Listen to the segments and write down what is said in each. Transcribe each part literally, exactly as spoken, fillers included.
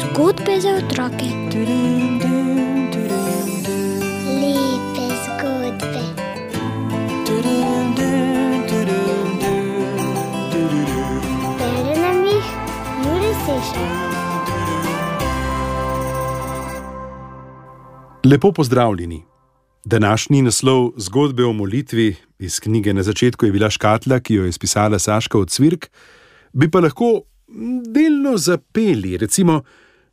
Zgodbe za otroke. Lepe zgodbe. Bere nam jih Jure Sešar. Lepo pozdravljeni. Današnji naslov zgodbe o molitvi iz knjige Na začetku je bila škatla, ki jo je spisala Saška Ocvirk, bi pa lahko delno zapeli, recimo: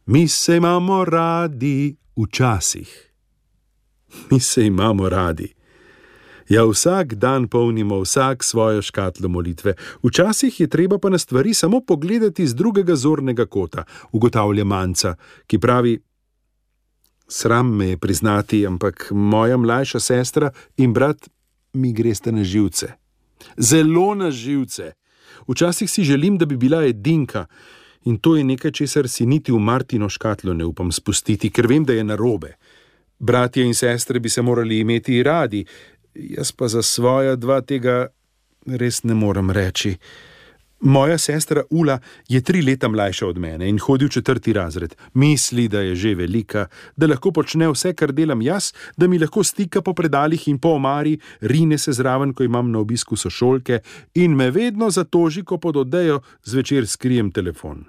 Mi se imamo radi včasih. Mi se imamo radi. Ja, vsak dan polnimo vsak svojo škatlo molitve. Včasih je treba pa na stvari samo pogledati z drugega zornega kota, ugotavlja Manca, ki pravi: Sram me je priznati, ampak moja mlajša sestra in brat mi gresta na živce. Zelo na živce. Včasih si želim, da bi bila edinka, in to je nekaj, česar si niti v Martino škatlo ne upam spustiti, ker vem, da je narobe. Bratje in sestre bi se morali imeti radi, jaz pa za svoja dva tega res ne morem reči. Moja sestra Ula je tri leta mlajša od mene in hodi v četrti razred. Misli, da je že velika, da lahko počne vse, kar delam jaz, da mi lahko stika po predalih in po omari, rine se zraven, ko imam na obisku sošolke, in me vedno zatoži, ko pod odejo zvečer skrijem telefon.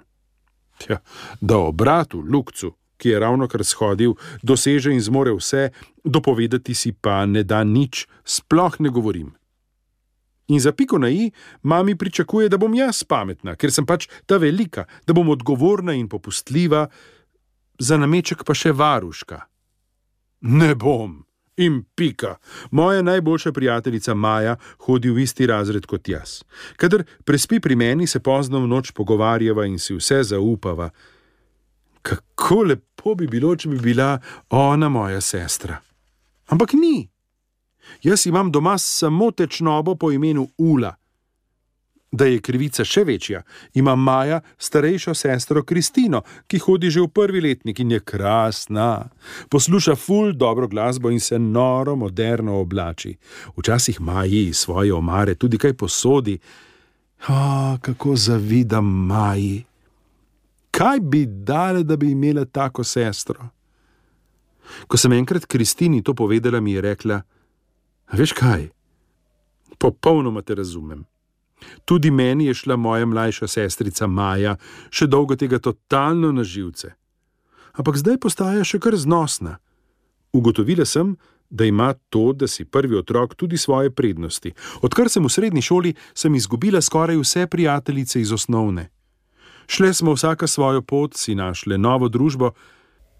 Tja, da o bratu Lukcu, ki je ravnokar shodil, doseže in zmore vse, dopovedati si pa ne da nič, sploh ne govorim. In za piko na i mami pričakuje, da bom jaz pametna, ker sem pač ta velika, da bom odgovorna in popustljiva, za nameček pa še varuška. Ne bom. In pika. Moja najboljša prijateljica Maja hodi v isti razred kot jaz. Kadar prespi pri meni, se pozno v noč pogovarjava in si vse zaupava. Kako lepo bi bilo, če bi bila ona moja sestra. Ampak ni. Jaz imam doma samo tečnobo po imenu Ula. Da je krivica še večja, ima Maja starejšo sestro Kristino, ki hodi že v prvi letnik in je krasna. Posluša ful dobro glasbo in se noro moderno oblači. Včasih Maji iz svoje omare tudi kaj posodi. O, kako zavidam Maji. Kaj bi dale, da bi imela tako sestro? Ko sem enkrat Kristini to povedala, mi je rekla: Veš kaj? Popolnoma te razumem. Tudi meni je šla moja mlajša sestrica Maja še dolgo tega totalno na živce. Ampak zdaj postaja še kar znosna. Ugotovila sem, da ima to, da si prvi otrok, tudi svoje prednosti. Odkar sem v srednji šoli, sem izgubila skoraj vse prijateljice iz osnovne. Šle smo vsaka svojo pot, si našle novo družbo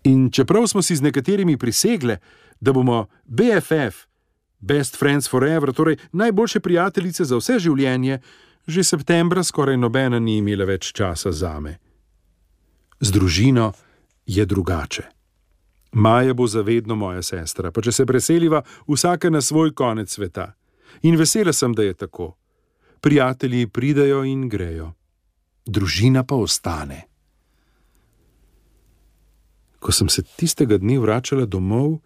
in čeprav smo si z nekaterimi prisegle, da bomo B F F, Best Friends Forever, torej najboljše prijateljice za vse življenje, že septembra skoraj nobena ni imela več časa zame. Z družino je drugače. Maja bo zavedno moja sestra, pa če se preseliva vsaka na svoj konec sveta. In vesela sem, da je tako. Prijatelji pridejo in grejo. Družina pa ostane. Ko sem se tistega dne vračala domov,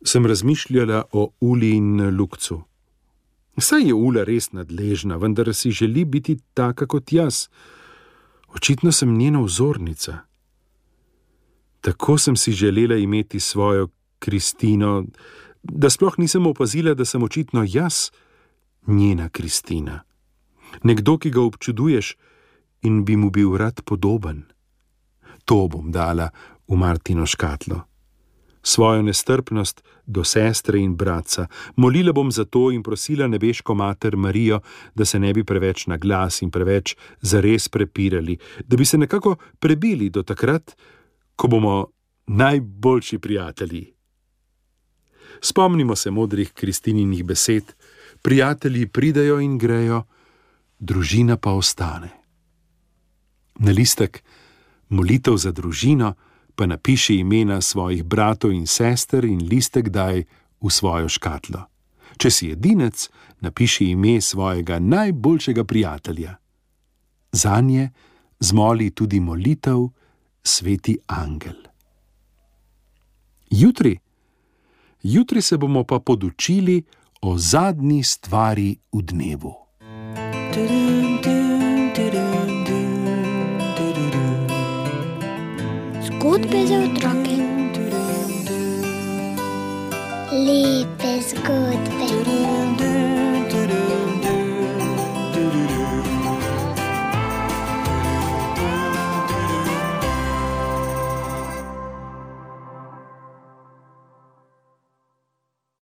sem razmišljala o Uli in Lukcu. Saj je Ula res nadležna, vendar si želi biti taka kot jaz. Očitno sem njena vzornica. Tako sem si želela imeti svojo Kristino, da sploh nisem opazila, da sem očitno jaz njena Kristina. Nekdo, ki ga občuduješ in bi mu bil rad podoben. To bom dala v Martino škatlo. Svojo nestrpnost do sestre in bratca. Molila bom za to in prosila nebeško mater Marijo, da se ne bi preveč na glas in preveč zares prepirali, da bi se nekako prebili do takrat, ko bomo najboljši prijatelji. Spomnimo se modrih Kristininih besed: prijatelji pridejo in grejo, družina pa ostane. Na listek molitev za družino pa napiši imena svojih bratov in sester in listek daj v svojo škatlo. Če si edinec, napiši ime svojega najboljšega prijatelja. Zanje zmoli tudi molitev Sveti angel. Jutri, jutri se bomo pa podučili o zadnji stvari v dnevu. Zgodbe za otroke. Lepe zgodbe.